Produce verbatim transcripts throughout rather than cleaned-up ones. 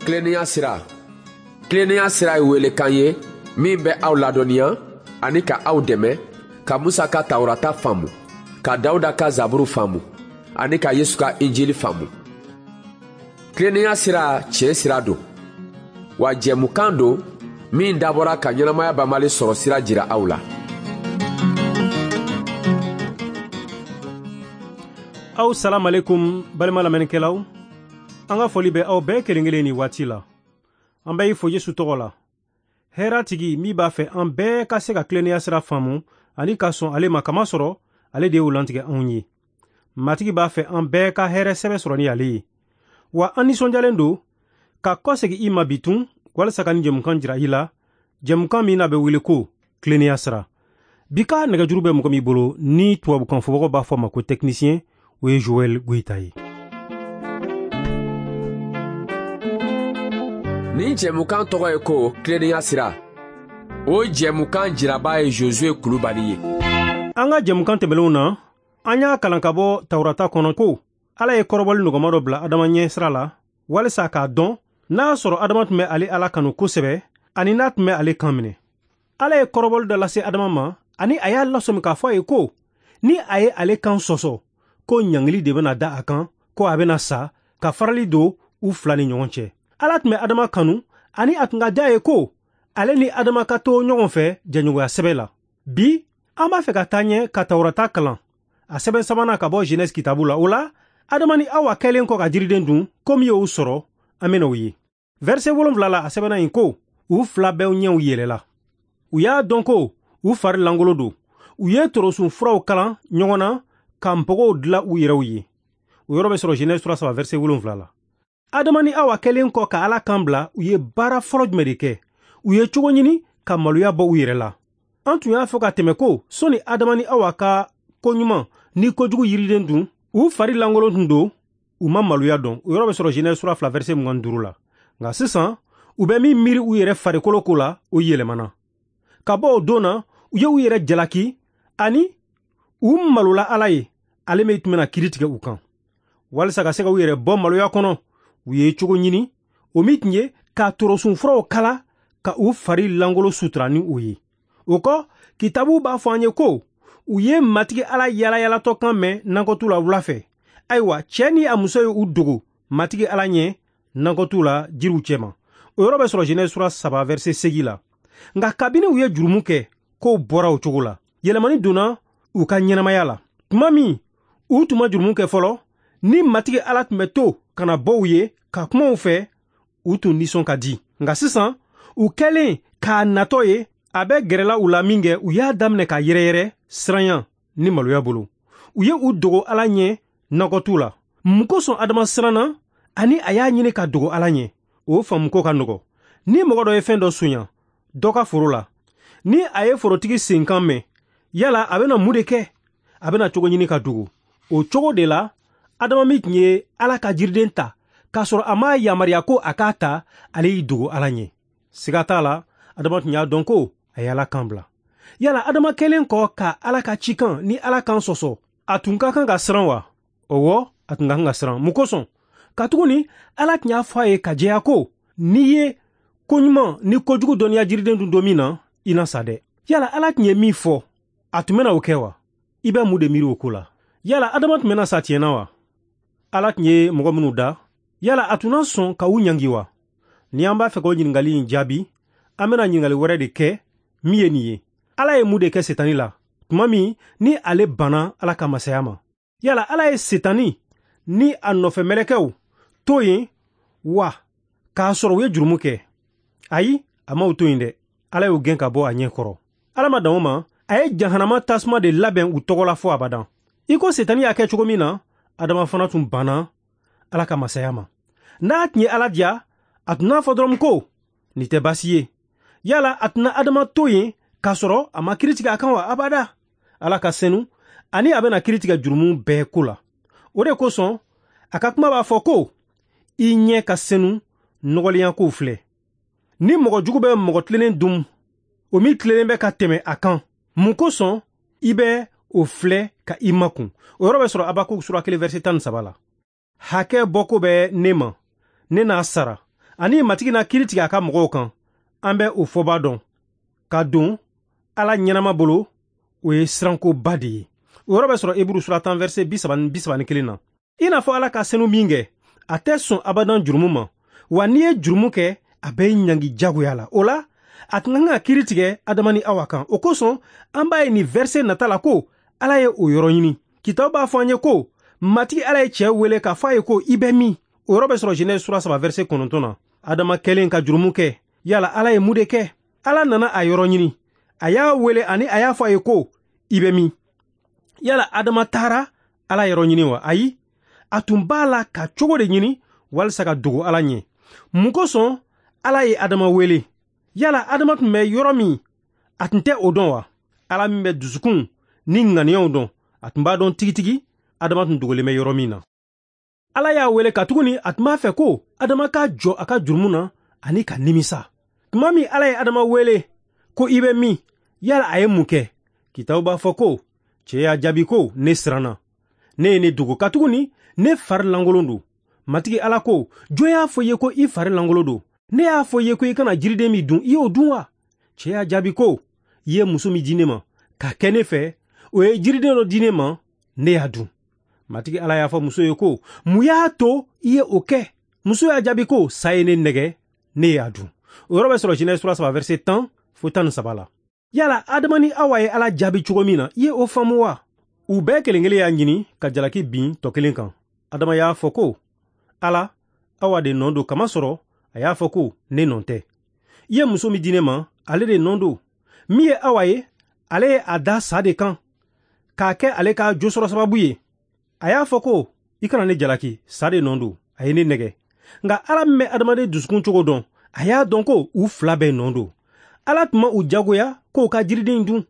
Tilennenya sira. Tilennenya sira ye welekan ye min bɛ aw ladɔnniya ani ka aw dɛmɛ ka Musa ka Tawurata faamu, ka Dawuda ka Zaburu faamu ani ka Yesu ka Injili faamu. Tilennenya sira tiɲɛ sira don, wa jɛmukan don min dabɔra ka ɲɛnamaya banbali sɔrɔ sira jira aw la. Aw salam alaikum balima lamɛnnikɛlaw. An ka foli bɛ aw bɛɛ kelen kelen ni waati la. An bɛ i fo Yesu tɔgɔ la. Hɛrɛ tigi min b'a fɛ an bɛɛ ka se ka tilennenya sira faamu ani ka sɔn ale ma, kamasɔrɔ ale de y'o lantigɛ anw ye. Matigi b'a fɛ an bɛɛ ka hɛrɛ sɛbɛ sɔrɔ ni ale ye. Wa an nisɔndiyalen don ka kɔsegin i ma bi tun walasa ka nin jɛmukan jira i la, jɛmukan min n'a bɛ wele ko tilennenya sira. Bi ka nɛgɛjuru bɛ mɔgɔ min bolo ni tubabukan fɔbagaw b'a fɔ a ma ko technicien, o ye Joël Goïta ye. Nin jɛmukan tɔgɔ ye ko tilennenya sira. O jɛmukan jiraba ye Josué Kulubali ye. An ka jɛmukan tɛmɛnlenw na, an y'a kalan ka bɔ Tawurata kɔnɔ ko Ala ye kɔrɔbɔli nɔgɔma dɔ bila Adama ɲɛ sira la walisa k'a dɔn n'a y'a sɔrɔ Adama tun bɛ ale Ala kanu kosɛbɛ ani n'a tun bɛ ale kan minɛ. Ala ye kɔrɔbɔli dɔ lase Adama ma ani a y'a lasɔmi k'a fɔ a ye ko ni a ye ale kan sɔsɔ, ko ɲangili de bɛna da a kan, ko a bɛna sa ka farali don u fila ni ɲɔgɔn cɛ. Ala tun bɛ Adama kanu ani a tun ka diya ye ko ale ni Adama ka to ɲɔgɔn fɛ jɛɲɔgɔnya sɛbɛ la. Bi an b'a fɛ ka taa ɲɛ ka Tawurata kalan a sɛbɛn sabanan ka bɔ Genèse kitabu la. O la, Adama ni Awa kɛlen kɔ ka jiriden dun, ko min y'o sɔrɔ, an bɛna o ye. Verset wolonwula la, a sɛbɛnna yen ko u fila bɛɛ ɲɛw yɛlɛla. U y'a dɔn ko u fari langolo don. U ye torosun furaw kalan ɲɔgɔn na ka npogow dilan u yɛrɛw ye. O yɔrɔ bɛ sɔrɔ Genèse sura saba verset wolonwula la. Adama ni Awa kɛlen kɔ ka Ala kan bila, u ye baara fɔlɔ jumɛn de kɛ? U ye cogo ɲini ka maloya bɔ u yɛrɛ la. An tun y'a fɔ ka tɛmɛ ko sɔni Adama ni Awa ka koɲuman ni kojugu yiriden dun, u fari lankolon tun don, u ma maloya dɔn. O yɔrɔ bɛ sɔrɔ Genèse sura fila verset mugan ni duuru la. Nka sisan, u bɛ min miiri u yɛrɛ farikolo ko la, o yɛlɛmana. Ka bɔ o don na, u ye u yɛrɛ jalaki ani u malola Ala ye, ale min tun bɛna kiiri tigɛ u kan. Walisa ka se ka u yɛrɛ bɔ maloya kɔnɔ, u ye cogo ɲini, o min tun ye ka torosun furaw kala ka u fari langolo sutura ni o ye. O kɔ, kitabu b'a fɔ an ye ko u ye Matigi Ala yalayalatɔ kan mɛn nakɔtu la wula fɛ. Ayiwa, cɛ ni a muso ye u dogo Matigi Ala ɲɛ nakɔtu la jiriw cɛma. O yɔrɔ bɛ sɔrɔ Genèse sura saba verset seegin la. Nka kabini u ye jurumu kɛ, kow bɔra o cogo la. Yɛlɛmani donna u ka ɲɛnamaya la. Tuma min u tun ma jurumu kɛ fɔlɔ, ni Matigi Ala tun bɛ to ka na bɔ u ye ka kuma u fɛ, u tun nisɔn ka di. Nka sisan, u kɛlen k'a natɔ ye, a bɛ gɛrɛla u la min kɛ, u y'a daminɛ ka yɛrɛyɛrɛ siranya ni maloya bolo. U ye u dogo Ala ɲɛ nakɔtu la. Mun kosɔn Adama siranna ani a y'a ɲini ka dogo Ala ɲɛ? O faamuko ka nɔgɔ. Ni mɔgɔ dɔ ye fɛn dɔ sonya dɔ ka foro la, ni a ye forotigi senkan mɛn, yala a bɛna mun de kɛ? A bɛna cogo ɲini ka dogo. O cogo de la, Adama min tun ye Ala ka jiriden ta k'a sɔrɔ a m'a yamaruya ko a k'a ta, ale y'i dogo Ala ɲɛ. Siga t'a la, Adama tun y'a dɔn ko a ye Ala kan bila. Yala Adama kɛlen kɔ ka Ala ka cikan ni Ala kan sɔsɔ, a tun ka kan ka siran wa? Ɔwɔ, a tun ka kan ka siran. Mun kosɔn? Katuguni Ala tun y'a fɔ a ye ka jɛya ko n'i ye koɲuman ni kojugu dɔnniya jiriden dun don min na, i na sa dɛ. Yala Ala tun ye min fɔ, a tun bɛna o kɛ wa? I bɛ mun de miiri o ko la? Yala Adama tun bɛna sa tiɲɛ na wa? Ala tun ye mɔgɔ minnu da, yala a tun na sɔn ka u ɲangi wa? Ni an b'a fɛ k'o ɲininkali in jaabi, an bɛna ɲininkali wɛrɛ de kɛ min ye nin ye. Ala ye mun de kɛ Setani la tuma min ni ale banna Ala ka masaya ma? Yala Ala ye Setani ni a nɔfɛ mɛlɛkɛw to yen wa k'a sɔrɔ u ye jurumu kɛ? Ayi, a ma u to yen dɛ. Ala y'u gɛn ka bɔ a ɲɛ kɔrɔ. Ala ma dan o ma, a ye jahanama tasuma de labɛn u tɔgɔ la fo abadan. I ko Setani y'a kɛ cogo min na, Adama fana tun banna Ala ka masaya ma. N'a tun ye Ala diya, a tun n'a fɔ dɔrɔn ko nin tɛ baasi ye. Yala a tɛna Adama to yen k'a sɔrɔ a ma kiiri tigɛ a kan wa? Abada. Ala ka senu ani a bɛna kiiri tigɛ jurumu bɛɛ ko la. O de kosɔn a ka kuma b'a fɔ ko i ɲɛ ka senu nɔgɔlenya kow filɛ. Ni mɔgɔ jugu bɛ mɔgɔ tilennen dun, o min tilennen bɛ ka tɛmɛ a kan, mun kosɔn i bɛ o filɛ ka i makun? O yɔrɔ bɛ sɔrɔ Habakuk sura kelen verset tan ni saba la. Hakɛ bɔko bɛ ne ma, ne n'a sara. Ani Matigi na kiiri tigɛ a ka mɔgɔw kan, an bɛ o fɔba dɔn. Ka don Ala ɲɛnama bolo, o ye sirankoba de ye. O yɔrɔ bɛ sɔrɔ Eburu sura tan verset bi saba ni bi saba ni kelen na. I n'a fɔ Ala ka senu min kɛ, a tɛ sɔn abadan jurumu ma. Wa n'i ye jurumu kɛ, a bɛ ɲangi jagoya la. O la, a tun kan ka kiiri tigɛ Adama ni Awa kan. O kosɔn, an b'a ye nin verset nata la ko Ala ye o yɔrɔ ɲini. Kitabu b'a fɔ an ye ko Matigi Ala ye cɛ wele k'a fɔ a ye ko i bɛ min? O yɔrɔ bɛ sɔrɔ Genèse sura saba verset kɔnɔntɔn na. Adama kɛlen ka jurumu kɛ, yala Ala ye mun de kɛ? Ala nana a yɔrɔ ɲini. A y'a wele ani a y'a fɔ a ye ko i bɛ min? Yala Adama taara Ala yɔrɔ ɲini wa? Ayi, a tun b'a la ka cogo de ɲini walisa ka dogo Ala ɲɛ. Mun kosɔn Ala ye Adama wele? Yala Adama tun bɛ yɔrɔ min, a tun tɛ o dɔn wa? Ala min bɛ dusukun ni ŋaniyaw dɔn, a tun b'a dɔn tigitigi Adama tun dogolen bɛ yɔrɔ min na. Ala y'a wele katuguni a tun b'a fɛ ko Adama ka jɔ a ka jurumu na ani ka nimisa. Tuma min Ala ye Adama wele ko i bɛ min, yala a ye mun kɛ? Kitabu b'a fɔ ko cɛ y'a jaabi ko ne siranna, ne ye ne dogo katuguni ne fari lankolon don. Matigi Ala ko, jɔn y'a fɔ i ye ko i fari lankolon don? Ne y'a fɔ i ye ko i kana jiriden min dun, i y'o dun wa? Cɛ y'a jaabi ko i ye muso min di ne ma ka kɛ ne fɛ, o ye jiriden dɔ di ne ma, ne y'a dun. Matigi Ala y'a fɔ muso ye ko mun y'a to i ye o kɛ? Muso y'a jaabi ko sa ye ne nɛgɛ, ne y'a dun. O yɔrɔ bɛ sɔrɔ Genèse sura saba verset tan fo tan ni saba la. Yala Adama ni Awa ye Ala jaabi cogo min na, i ye o faamu wa? U bɛɛ kelen kelen y'a ɲini ka jalaki bin tɔ kelen kan. Adama y'a fɔ ko Ala, Awa de nɔ don, kamasɔrɔ a y'a fɔ ko ne nɔ tɛ. I ye muso min di ne ma, ale de nɔ don. Min ye Awa ye, ale ye a da sa de kan k'a kɛ ale ka josɔrɔ sababu ye. A y'a fɔ ko i kana ne jalaki, sa de nɔ don, a ye ne nɛgɛ. Nka Ala min bɛ adamaden dusukun cogo dɔn, a y'a dɔn ko u fila bɛɛ nɔ don. Ala tun ma u jagoya k'u ka jiriden dun,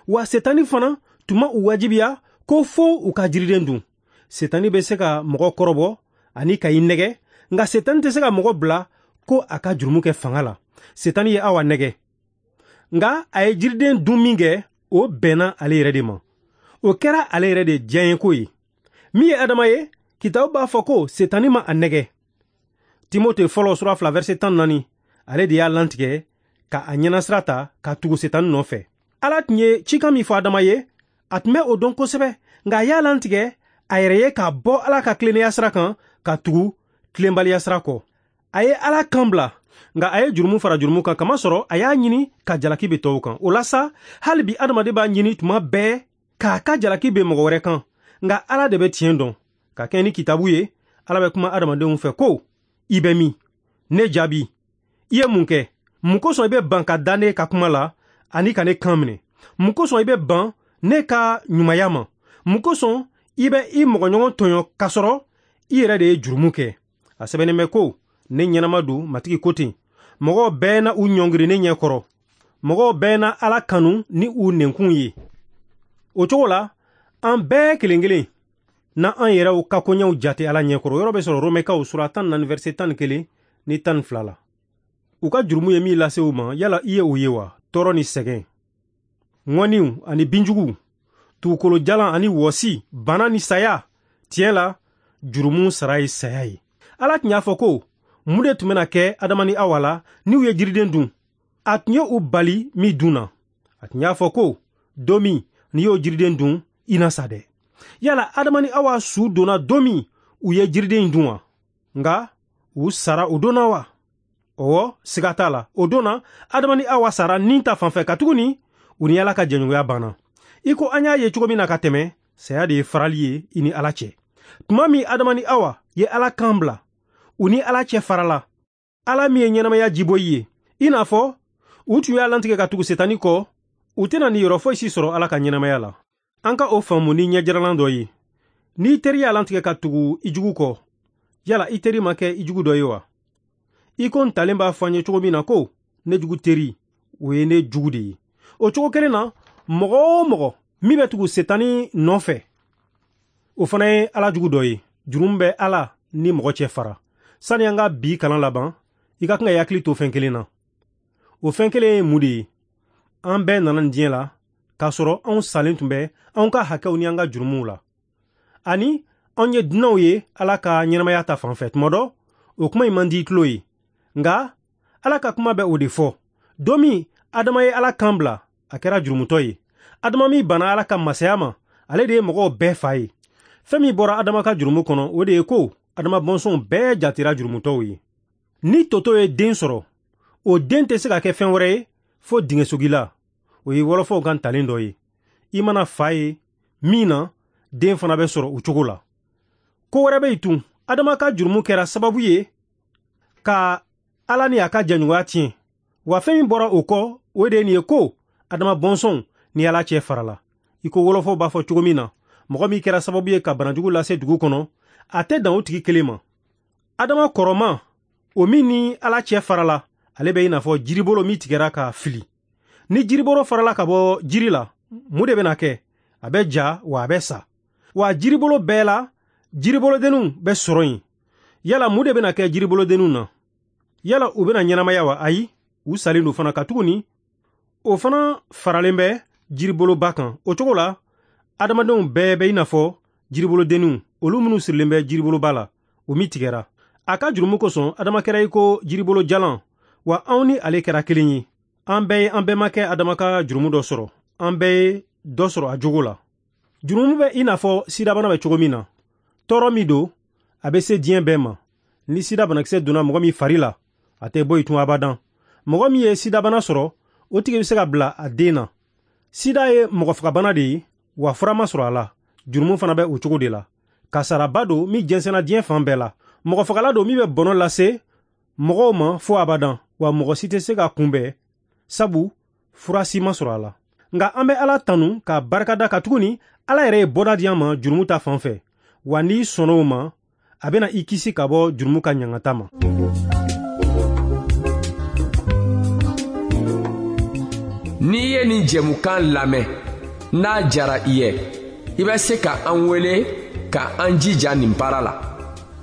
wa Setani fana tun ma u wajibiya ko fo u ka jiriden dun. Setani bɛ se ka mɔgɔ kɔrɔbɔ ani ka i nɛgɛ, nka Setani tɛ se ka mɔgɔ bila ko a ka jurumu kɛ fanga la. Setani ye Awa nɛgɛ, nka a ye jiriden dun min kɛ, o bɛnna ale yɛrɛ de ma. O kɛra ale yɛrɛ de diyaɲeko ye. Min ye Adama ye, kitabu b'a fɔ ko Setani ma a nɛgɛ. Timote fɔlɔ sura fila verset tan naani, ale de y'a lantigɛ ka a ɲɛnasira ta ka tugu Setani nɔfɛ. Ala tun ye cikan min fɔ Adama ye, a tun bɛ o dɔn kosɛbɛ, nka a y'a lantigɛ a yɛrɛ ye ka bɔ Ala ka tilennenya sira kan ka tugu tilenbaliya sira kɔ. A ye Ala kan bila, nka a ye jurumu fara jurumu kan, kamasɔrɔ a y'a ɲini ka jalaki bɛ tɔw kan. O la sa, hali bi adamaden b'a ɲini tuma bɛɛ k'a ka jalaki bɛ mɔgɔ wɛrɛ kan, nka Ala de bɛ tiɲɛ dɔn. Ka kɛɲɛ ni kitabu ye, Ala bɛ kuma adamadenw fɛ ko i bɛ min? Ne jaabi, i ye mun kɛ? Mun kosɔn i bɛ ban ka da ne ka kuma la ani ka ne kan minɛ? Mun kosɔn i bɛ ban ne ka ɲumanya ma? Mun kosɔn i bɛ i mɔgɔɲɔgɔn tɔɲɔ k'a sɔrɔ i yɛrɛ de ye jurumu kɛ? A sɛbɛnnen bɛ ko ne ɲɛnama don, Matigi ko ten. Mɔgɔw bɛɛ na u ɲɔngiri ne ɲɛ kɔrɔ. Mɔgɔw bɛɛ na Ala kanu ni u nɛnkun ye. O cogo la, an bɛɛ kelen kelen na an yɛrɛw ka koɲɛw jate Ala ɲɛ kɔrɔ. O yɔrɔ bɛ sɔrɔ Romɛkaw sura tan naani verset tan ni kelen ni tan ni fila la. U ka jurumu ye min lase u ma, yala i ye o ye wa? Tɔɔrɔ ni sɛgɛn, ŋɔniw ani binjuguw, dugukolo jalan ani wɔsi, bana ni saya. Tiɲɛ la, jurumu sara ye saya ye. Ala tun y'a fɔ ko mun de tun bɛna kɛ Adama ni Awa la n'u ye jiriden dun? A tun ye u bali min dun na. A tun y'a fɔ ko don min n'i y'o jiriden dun, i na sa dɛ. Yala Adama ni Awa su donna don min u ye jiriden in dun wa? Nka u sara o don na wa? Ɔwɔ, siga t'a la. O don na, Adama ni Awa sara nin ta fanfɛ, katuguni u ni Ala ka jɛɲɔgɔnya banna. I ko an y'a ye cogo min na ka tɛmɛ, saya de ye farali ye i ni Ala cɛ. Tuma min Adama ni Awa ye Ala kan bila, u ni Ala cɛ farala. Ala min ye ɲɛnamaya jiboyi ye, i n'a fɔ u tun y'a lantigɛ ka tugu Setani kɔ, u tɛna nin yɔrɔ foyi si sɔrɔ Ala ka ɲɛnamaya la. An ka o faamu ni ɲɛjiralan dɔ ye. N'i teri y'a lantigɛ ka tugu i jugu kɔ, yala i teri ma kɛ i jugu dɔ ye wa? I ko ntalen b'a fɔ an ye cogo min na ko ne jugu teri, o ye ne jugu de ye. O cogo kelen na, mɔgɔ o mɔgɔ min bɛ tugu Setani nɔfɛ, o fana ye Ala jugu dɔ ye. Jurumu bɛ Ala ni mɔgɔ cɛ fara. Sani an ka bi kalan laban, i ka kan ka i hakili to fɛn kelen na. O fɛn kelen ye mun de ye? An bɛɛ nana nin diɲɛ la k'a sɔrɔ anw salen tun bɛ anw ka hakɛw ni an ka jurumuw la. Ani anw ye dunanw ye Ala ka ɲɛnamaya ta fan fɛ. Tuma dɔ, o kuma in man di i tulo ye. Nka Ala ka kuma bɛ o de fɔ. Don min Adama ye Ala kan bila, a kɛra jurumutɔ ye. Adama min banna Ala ka masaya ma, ale de ye mɔgɔw bɛɛ fa ye. Fɛn min bɔra Adama ka jurumu kɔnɔ, o de ye ko Adama bɔnsɔnw bɛɛ jatera jurumutɔw ye. Ni toto ye den sɔrɔ, o den tɛ se ka kɛ fɛn wɛrɛ ye fo dingɛsogila. O ye wɔlɔfɔw ka ntalen dɔ ye. I mana fa ye min na, den fana bɛ sɔrɔ o cogo la. Ko wɛrɛ bɛ yen tun. Adama ka jurumu kɛra sababu ye ka Ala ni a ka jɛɲɔgɔnya tiɲɛ. Wa fɛn min bɔra o kɔ, o de ye nin ye ko Adama bɔnsɔnw ni Ala cɛ farala. I ko wɔlɔfɔw b'a fɔ cogo min na, mɔgɔ min kɛra sababu ye ka banajugu lase dugu kɔnɔ, a tɛ dan o tigi kelen ma. Adama kɔrɔma, o min ni Ala cɛ farala, ale bɛ i n'a fɔ jiribolo min tigɛra ka fili. Ni jiribolo farala ka bɔ jiri la, mun de bɛna kɛ? A bɛ ja wa a bɛ sa. Wa jiribolo bɛɛ la, jiribolodenninw bɛ sɔrɔ yen. Yala mun de bɛna kɛ jiribolodenninw na? Yala u bɛna ɲɛnamaya wa? Ayi, u salen don fana katuguni o fana faralen bɛ jiriboloba kan. O cogo la, adamadenw bɛɛ bɛ i n'a fɔ jiribolodenninw, olu minnu sirilen bɛ jiriboloba la, o min tigɛra. A ka jurumu kosɔn, Adama kɛra i ko jiribolo jalan, wa anw ni ale kɛra kelen ye. An bɛɛ ye an bɛnbakɛ Adama ka jurumu dɔ sɔrɔ. An bɛɛ ye dɔ sɔrɔ a jogo la. Jurumu bɛ i n'a fɔ sidabana bɛ cogo min na. Tɔɔrɔ min don, a bɛ se diɲɛ bɛɛ ma. Ni sida banakisɛ donna mɔgɔ min fari la, a tɛ bɔ yen tun abadan. Mɔgɔ min ye sidabana sɔrɔ, o tigi bɛ se ka bila a den na. Sida ye mɔgɔfagabana de ye, wa fura ma sɔrɔ a la. Jurumu fana bɛ o cogo de la. Kasaraba don min jɛnsɛnna diɲɛ fan bɛɛ la. Mɔgɔfagala don min bɛ bɔnɔ lase mɔgɔw ma fo abadan, wa mɔgɔ si tɛ se ka kunbɛn, sabu fura si ma sɔrɔ a la. Nka an bɛ Ala tanu ka barika da katuguni Ala yɛrɛ ye bɔda di an ma jurumu ta fan fɛ. Wa n'i sɔnna o ma, a bɛna i kisi ka bɔ jurumu ka ɲangata ma. N'i ye nin jɛmukan lamɛn, n'a diyara i ye, i bɛ se ka an wele ka an jija nin baara la.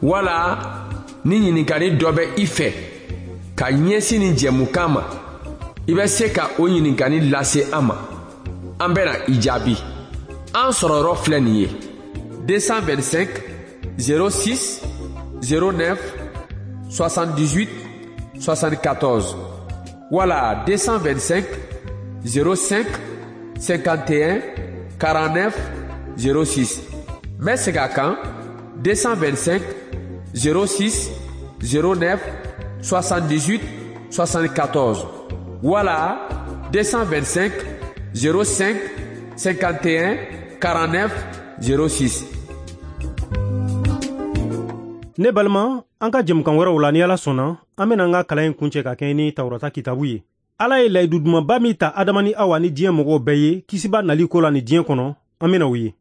Wala ni ɲininkali dɔ bɛ i fɛ ka ɲɛsin nin jɛmukan ma, i bɛ se ka o ɲininkali lase an ma. An bɛna i jaabi. An sɔrɔyɔrɔ filɛ nin ye: deux cent vingt-cinq zéro six zéro neuf soixante-dix-huit soixante-quatorze wala deux cent vingt-cinq zéro cinq cinquante et un quarante-neuf zéro six. N bɛ segin a kan: deux cent vingt-cinq zéro six zéro neuf soixante-dix-huit soixante-quatorze wala deux cent vingt-cinq zéro cinq cinquante et un quarante-neuf zéro six. Ne balima, an ka jɛmukan wɛrɛw la, ni Ala sɔnna, an bɛna an ka kalan in kuncɛ ka kɛɲɛ ni Tawurata kitabu ye. Ala ye layidu dumanba min ta Adama ni Awa ni diɲɛ mɔgɔw bɛɛ ye kisiba nali ko la ni diɲɛ kɔnɔ, an bɛna o ye.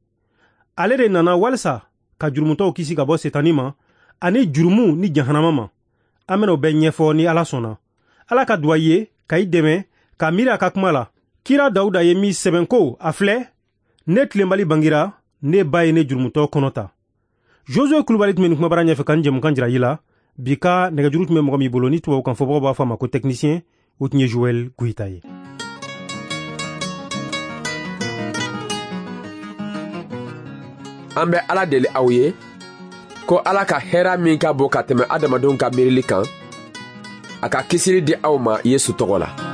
Ale de nana walisa ka jurumutɔw kisi ka bɔ Setani ma ani jurumu ni jahanama ma. An bɛna o bɛɛ ɲɛfɔ ni Ala sɔnna. Ala ka duwa ye ka i dɛmɛ ka miiri a ka kuma la. Kira Dawuda ye min sɛbɛn ko: a filɛ, ne tilenbali bangira, ne ba ye ne jurumutɔ kɔnɔ ta. Josue Kulubali tun bɛ nin kumabara ɲɛfɛ ka nin jɛmukan jira i la. Bi ka nɛgɛjuru tun bɛ mɔgɔ min bolo, ni tubabukan fɔbagaw b'a fɔ a ma ko technicien, o tun ye Joël Goyita ye. An bɛ Ala deli aw ye ko Ala ka hɛrɛ min ka bon ka tɛmɛ adamadenw ka miirili kan, a ka kisili di aw ma Yesu tɔgɔ la.